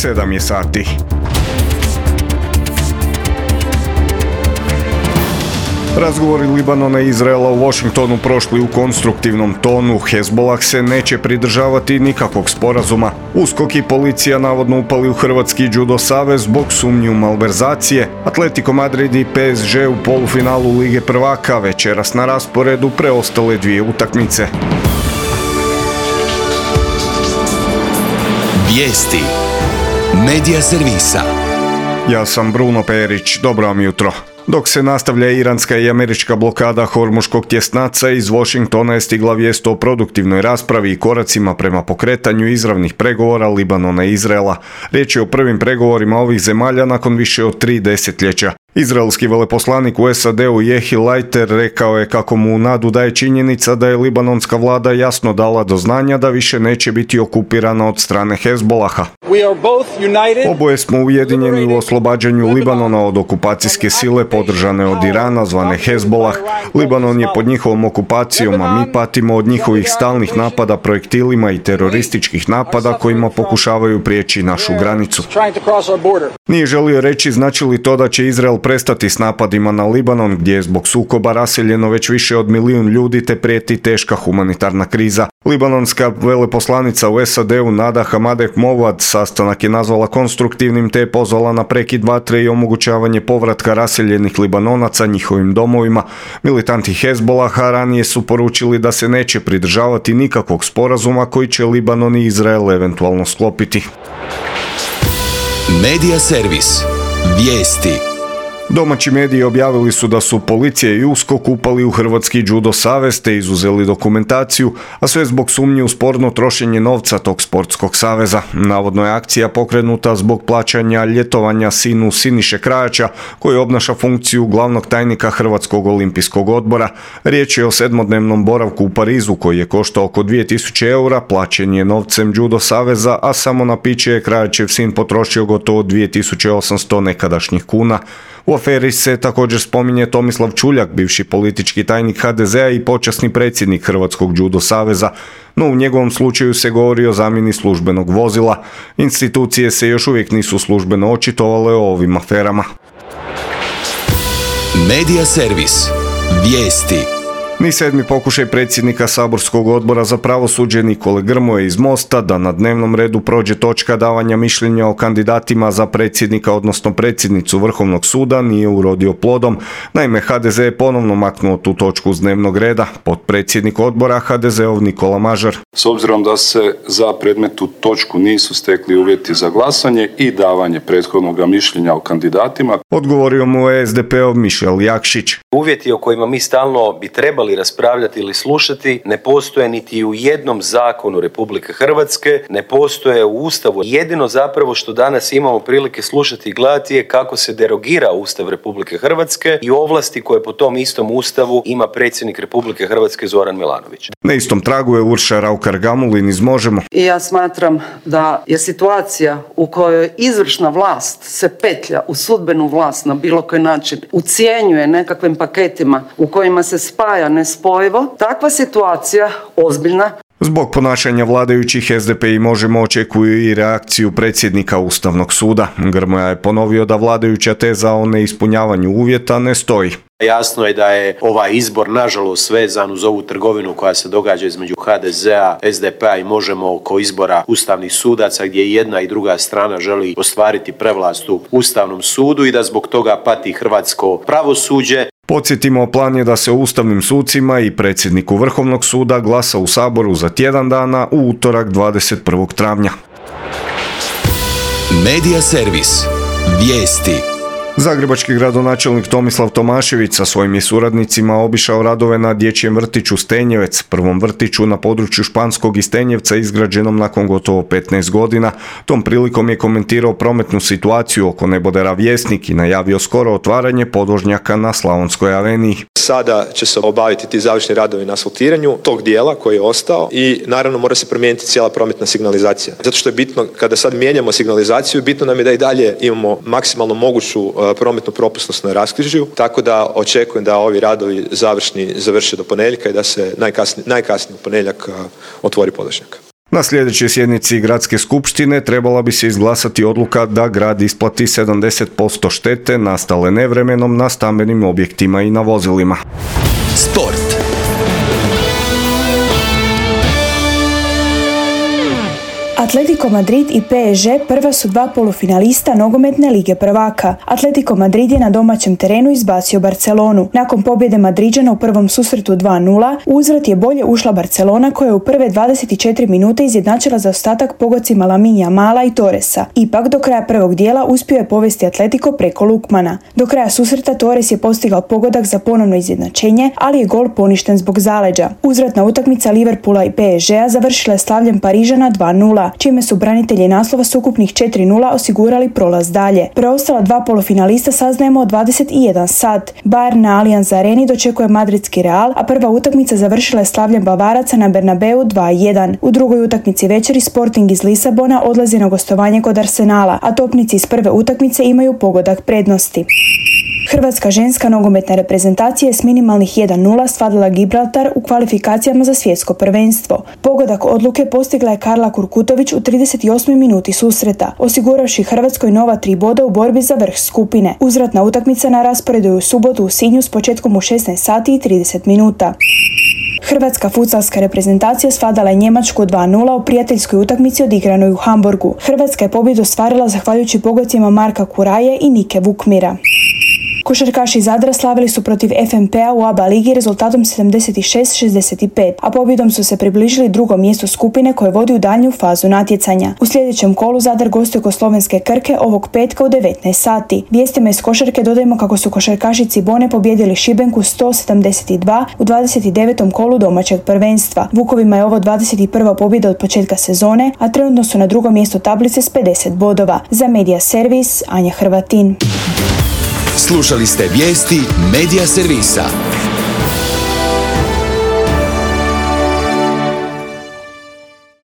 7 je sati. Razgovori Libanona i Izraela u Washingtonu prošli u konstruktivnom tonu. Hezbollah se neće pridržavati nikakvog sporazuma. USKOK i policija navodno upali u Hrvatski judo savez zbog sumnji u malverzacije. Atletico Madrid i PSG u polufinalu Lige prvaka, večeras na rasporedu preostale dvije utakmice. Vijesti Medija servisa. Ja sam Bruno Perić, dobro vam jutro. Dok se nastavlja iranska i američka blokada Hormuškog tjesnaca, iz Washingtona je stigla vijest o produktivnoj raspravi i koracima prema pokretanju izravnih pregovora Libanona i Izraela. Riječ je o prvim pregovorima ovih zemalja nakon više od 3 desetljeća. Izraelski veleposlanik u SAD-u Jehi Leiter rekao je kako mu nadu daje činjenica da je libanonska vlada jasno dala do znanja da više neće biti okupirana od strane Hezbolaha. Oboje smo ujedinjeni u oslobađanju Libanona od okupacijske sile podržane od Irana zvane Hezbolah. Libanon je pod njihovom okupacijom, a mi patimo od njihovih stalnih napada projektilima i terorističkih napada kojima pokušavaju prijeći našu granicu. Nije želio reći znači li to da će Izrael prestati s napadima na Libanon, gdje je zbog sukoba raseljeno već više od 1 milijun ljudi te prijeti teška humanitarna kriza. Libanonska veleposlanica u SAD-u Nada Hamadeh Movad sastanak je nazvala konstruktivnim te je pozvala na prekid vatre i omogućavanje povratka raseljenih Libanonaca njihovim domovima. Militanti Hezbolaha ranije su poručili da se neće pridržavati nikakvog sporazuma koji će Libanon i Izrael eventualno sklopiti. Medija servis. Vijesti. Domaći mediji objavili su da su policija i USKOK upali u Hrvatski judo savez te izuzeli dokumentaciju, a sve zbog sumnje u sporno trošenje novca tog sportskog saveza. Navodno je akcija pokrenuta zbog plaćanja ljetovanja sinu Siniše Krajača, koji obnaša funkciju glavnog tajnika Hrvatskog olimpijskog odbora. Riječ je o 7-dnevnom boravku u Parizu koji je koštao oko 2000 eura, plaćen je novcem judo saveza, a samo na piće je Krajačev sin potrošio gotovo 2800 nekadašnjih kuna. U aferi se također spominje Tomislav Čuljak, bivši politički tajnik HDZ-a i počasni predsjednik Hrvatskog judo saveza, no u njegovom slučaju se govori o zamjeni službenog vozila. Institucije se još uvijek nisu službeno očitovale o ovim aferama. Medija servis. Vijesti. Ni 7. pokušaj predsjednika saborskog odbora za pravosuđe Nikole Grmoje iz Mosta da na dnevnom redu prođe točka davanja mišljenja o kandidatima za predsjednika odnosno predsjednicu Vrhovnog suda nije urodio plodom. Naime, HDZ je ponovno maknuo tu točku s dnevnog reda. Potpredsjednik odbora HDZ-ov Nikola Mažar. S obzirom da se za predmetnu točku nisu stekli uvjeti za glasanje i davanje prethodnog mišljenja o kandidatima, odgovorio mu je SDP-ov Mišel Jakšić. Uvjeti o kojima mi stalno bi trebali raspravljati ili slušati ne postoje niti u jednom zakonu Republike Hrvatske, ne postoje u Ustavu. Jedino zapravo što danas imamo prilike slušati i gledati je kako se derogira Ustav Republike Hrvatske i ovlasti koje po tom istom Ustavu ima predsjednik Republike Hrvatske Zoran Milanović. Na istom tragu je Urša Raukar-Gamulin iz Možemo. I ja smatram da je situacija u kojoj izvršna vlast se petlja u sudbenu vlast na bilo koji način, ucjenjuje nekakvim paketima u kojima se spaja nespojivo, takva situacija ozbiljna. Zbog ponašanja vladajućih SDP i Možemo očekuju i reakciju predsjednika Ustavnog suda. Grmoja je ponovio da vladajuća teza o neispunjavanju uvjeta ne stoji. Jasno je da je ovaj izbor nažalost vezan uz ovu trgovinu koja se događa između HDZ-a, SDP-a i Možemo oko izbora ustavnih sudaca gdje jedna i druga strana želi ostvariti prevlast u Ustavnom sudu i da zbog toga pati hrvatsko pravosuđe. Podsjetimo, plan je da se ustavnim sucima i predsjedniku Vrhovnog suda glasa u Saboru za tjedan dana u utorak 21. travnja. Medija servis. Vijesti. Zagrebački gradonačelnik Tomislav Tomašević sa svojim je suradnicima obišao radove na dječjem vrtiću Stenjevec, prvom vrtiću na području Španskog i Stenjevca izgrađenom nakon gotovo 15 godina. Tom prilikom je komentirao prometnu situaciju oko nebodera Vjesnik i najavio skoro otvaranje podvožnjaka na Slavonskoj aveniji. Sada će se obaviti ti završni radovi na asfaltiranju tog dijela koji je ostao i naravno mora se promijeniti cijela prometna signalizacija. Zato što je bitno, kada sad mijenjamo signalizaciju, bitno nam je da i dalje imamo maksimalno moguću prometnu propusnost na raskrižju, tako da očekujem da ovi radovi završe do ponedjeljka i da se najkasnije u ponedjeljak otvori podvožnjak. Na sljedećoj sjednici Gradske skupštine trebala bi se izglasati odluka da grad isplati 70% štete nastale nevremenom na stambenim objektima i na vozilima. Sport. Atletico Madrid i PSG prva su dva polufinalista nogometne lige prvaka. Atletico Madrid je na domaćem terenu izbacio Barcelonu. Nakon pobjede Madriđana u prvom susretu 2:0, u uzvrat je bolje ušla Barcelona koja je u prve 24 minute izjednačila zaostatak pogodcima Lamine Yamala i Torresa. Ipak do kraja prvog dijela uspio je povesti Atletico preko Lukmana. Do kraja susreta Torres je postigao pogodak za ponovno izjednačenje, ali je gol poništen zbog zaleđa. Uzvratna utakmica Liverpoola i PSG-a završila je slavljem Parižana 2:0. Čime su branitelji naslova s ukupnih 4:0 osigurali prolaz dalje. Preostala dva polufinalista saznajemo od 21 sat. Bayern na Allianz Areni dočekuje madridski Real, a prva utakmica završila je slavljem Bavaraca na Bernabeu 2:1. U drugoj utakmici večeri Sporting iz Lisabona odlazi na gostovanje kod Arsenala, a topnici iz prve utakmice imaju pogodak prednosti. Hrvatska ženska nogometna reprezentacija je s minimalnih 1:0 svladala Gibraltar u kvalifikacijama za svjetsko prvenstvo. Pogodak odluke postigla je Karla Kurkutović u 38. minuti susreta, osiguravši Hrvatskoj nova 3 boda u borbi za vrh skupine. Uzvratna utakmica na rasporedu je u subotu u Sinju s početkom u 16 sati i 30 minuta. Hrvatska futsalska reprezentacija svladala je Njemačku 2:0 u prijateljskoj utakmici odigranoj u Hamburgu. Hrvatska je pobjedu ostvarila zahvaljujući pogodcima Marka Kuraje i Nike Vukmira. Košarkaši Zadra slavili su protiv FNP-a u ABA ligi rezultatom 76-65, a pobjedom su se približili drugom mjestu skupine koje vodi u daljnju fazu natjecanja. U sljedećem kolu Zadar gostuje kod slovenske Krke ovog petka u 19 sati. Vijestima iz košarke dodajemo kako su košarkaši Cibone pobjedili Šibenku 172 u 29. kolu domaćeg prvenstva. Vukovima je ovo 21. pobjeda od početka sezone, a trenutno su na drugom mjestu tablice s 50 bodova. Za Medija Servis, Anja Hrvatin. Slušali ste vijesti Medija Servisa.